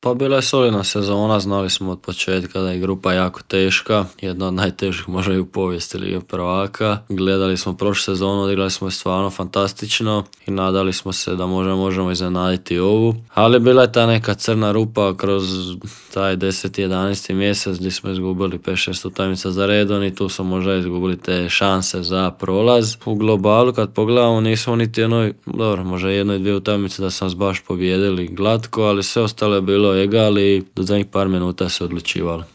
Pa bila je solidna sezona, znali smo od početka da je grupa jako teška, jedna od najtežih možda i u povijesti Lige prvaka. Gledali smo prošlu sezonu, odigrali smo je stvarno fantastično i nadali smo se da možemo iznenaditi ovu. Ali bila je ta neka crna rupa kroz taj 10. 11. mjesec gdje smo izgubili 5-6 utakmica za redom i tu smo možda izgubili te šanse za prolaz. U globalu kad pogledamo nismo niti možda jedno i dvije utakmice da sam baš pobijedili glatko, ali sve ostalo je bilo egal i do zadnjih par minuta se odlučivalo.